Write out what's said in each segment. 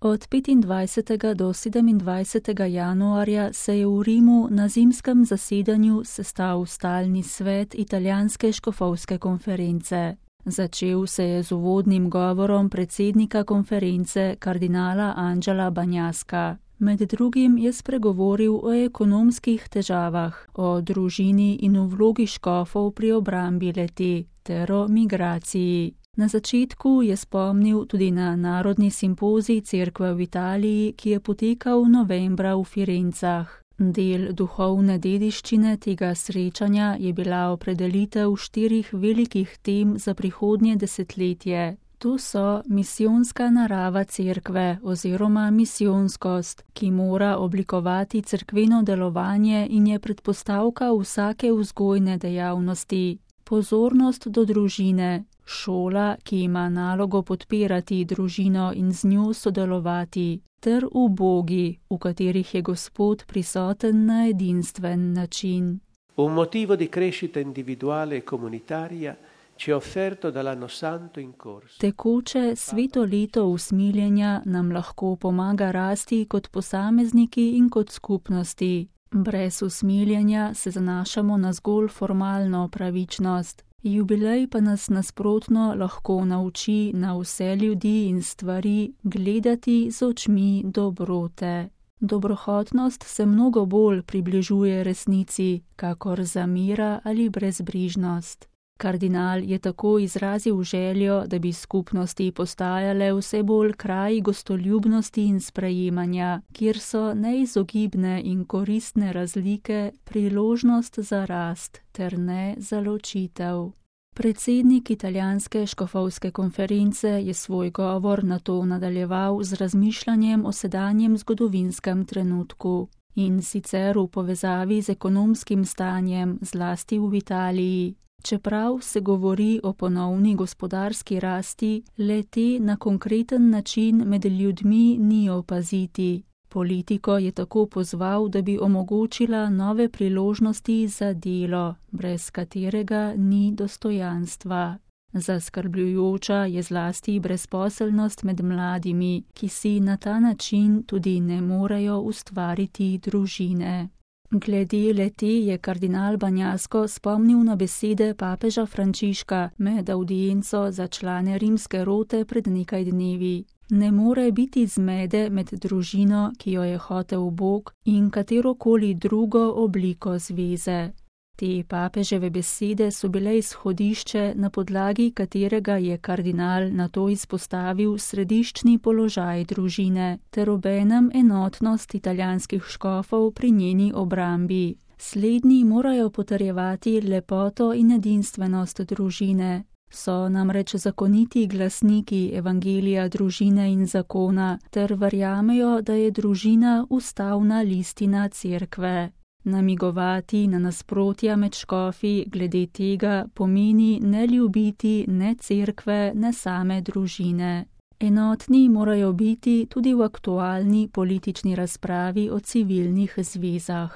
Od 25. do 27. januarja se je v Rimu na zimskem zasedanju sestal stalni svet italijanske škofovske konference. Začel se je z uvodnim govorom predsednika konference kardinala Angela Bagnaska. Med drugim je spregovoril o ekonomskih težavah, o družini in o vlogi škofov pri obrambi le-te ter o migraciji. Na začetku je spomnil tudi na narodni simpozij cerkve v Italiji, ki je potekal novembra v Firencah. Del duhovne dediščine tega srečanja je bila opredelitev 4 velikih tem za prihodnje desetletje. To so misijonska narava cerkve oziroma misijonskost, ki mora oblikovati cerkveno delovanje in je predpostavka vsake vzgojne dejavnosti. Pozornost do družine, šola, ki ima nalogo podpirati družino in z njo sodelovati, ter ubogi, v katerih je Gospod prisoten na edinstven način. Un motivo di crescita individuale e comunitaria ci è offerto dall'anno santo in corso. Tekoče sveto leto usmiljenja nam lahko pomaga rasti kot posamezniki in kot skupnosti. Brez usmiljenja se zanašamo na zgolj formalno pravičnost. Jubilej pa nas nasprotno lahko nauči na vse ljudi in stvari gledati z očmi dobrote. Dobrohotnost se mnogo bolj približuje resnici, kakor zamera ali brezbrižnost. Kardinal je tako izrazil željo, da bi skupnosti postajale vse bolj kraji gostoljubnosti in sprejemanja, kjer so neizogibne in koristne razlike priložnost za rast ter ne za ločitev. Predsednik italijanske škofovske konference je svoj govor nato nadaljeval z razmišljanjem o sedanjem zgodovinskem trenutku, in sicer v povezavi z ekonomskim stanjem, zlasti v Italiji. Čeprav se govori o ponovni gospodarski rasti, le-te na konkreten način med ljudmi ni opaziti. Politiko je tako pozval, da bi omogočila nove priložnosti za delo, brez katerega ni dostojanstva. Zaskrbljujoča je zlasti brezposelnost med mladimi, ki si na ta način tudi ne morejo ustvariti družine. Glede le-te je kardinal Bagnasko spomnil na besede papeža Frančiška med avdienco za člane rimske rote pred nekaj dnevi. Ne more biti zmede med družino, ki jo je hotel Bog, in katerokoli drugo obliko zveze. Te papeževe besede so bile izhodišče, na podlagi katerega je kardinal nato izpostavil središčni položaj družine ter obenem enotnost italijanskih škofov pri njeni obrambi. Slednji morajo potrjevati lepoto in edinstvenost družine. So namreč zakoniti glasniki evangelija družine in zakona ter verjamejo, da je družina ustavna listina cerkve. Namigovati na nasprotja med škofi glede tega pomeni ne ljubiti ne cerkve, ne same družine. Enotni morajo biti tudi v aktualni politični razpravi o civilnih zvezah.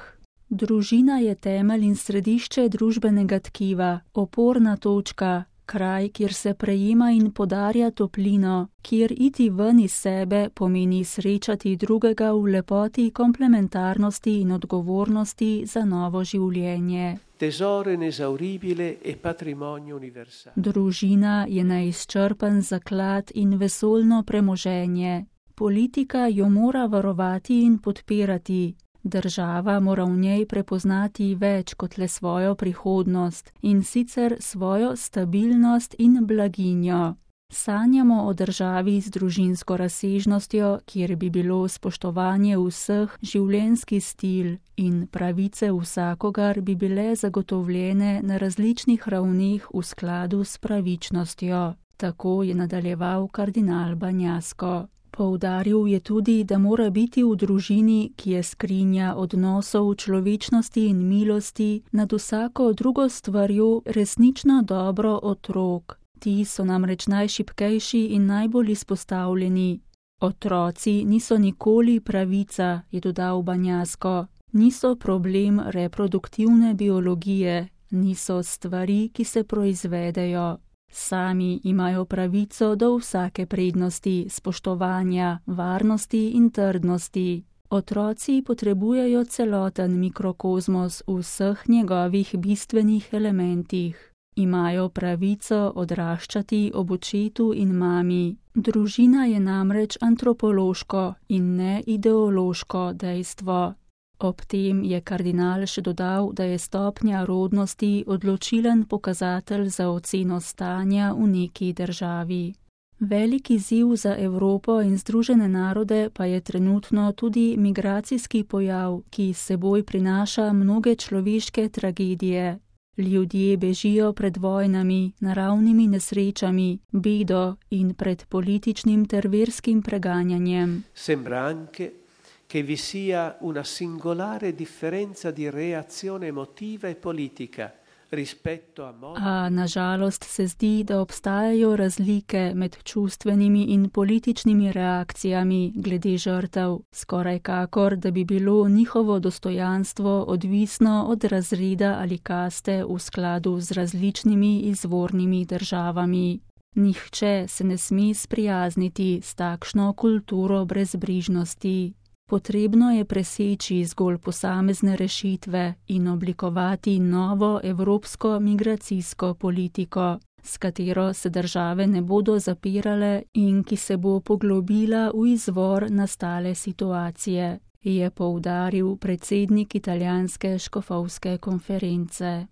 Družina je temelj in središče družbenega tkiva, oporna točka, kraj, kjer se prejema in podarja toplino, kjer iti ven iz sebe pomeni srečati drugega v lepoti komplementarnosti in odgovornosti za novo življenje. Tesoro inesauribile e patrimonio universale. Družina je neizčrpen zaklad in vesoljno premoženje. Politika jo mora varovati in podpirati. Država mora v njej prepoznati več kot le svojo prihodnost, in sicer svojo stabilnost in blaginjo. Sanjamo o državi z družinsko razsežnostjo, kjer bi bilo spoštovanje vseh življenjski stil in pravice vsakogar bi bile zagotovljene na različnih ravneh v skladu s pravičnostjo. Tako je nadaljeval kardinal Bagnasko. Poudaril je tudi, da mora biti v družini, ki je skrinja odnosov človečnosti in milosti, nad vsako drugo stvarjo resnično dobro otrok. Ti so namreč najšibkejši in najbolj izpostavljeni. Otroci niso nikoli pravica, je dodal Bagnasko. Niso problem reproduktivne biologije, niso stvari, ki se proizvedejo. Sami imajo pravico do vsake prednosti, spoštovanja, varnosti in trdnosti. Otroci potrebujejo celoten mikrokozmos v vseh njegovih bistvenih elementih. Imajo pravico odraščati ob očetu in mami. Družina je namreč antropološko in ne ideološko dejstvo. Ob tem je kardinal še dodal, da je stopnja rodnosti odločilen pokazatelj za oceno stanja v neki državi. Velik izziv za Evropo in Združene narode pa je trenutno tudi migracijski pojav, ki s seboj prinaša mnoge človeške tragedije. Ljudje bežijo pred vojnami, naravnimi nesrečami, bedo in pred političnim ter verskim preganjanjem. Sembra anche che vi sia una singolare differenza di reazione emotiva e politica rispetto a modo. A nažalost se zdi, da obstajajo razlike med čustvenimi in političnimi reakcijami glede žrtev, skoraj kakor, da bi bilo njihovo dostojanstvo odvisno od razreda ali kaste v skladu z različnimi izvornimi državami. Nihče se ne sme sprijazniti s takšno kulturo brezbrižnosti. Potrebno je preseči zgolj posamezne rešitve in oblikovati novo evropsko migracijsko politiko, s katero se države ne bodo zapirale in ki se bo poglobila v izvor nastale situacije, je poudaril predsednik italijanske škofovske konference.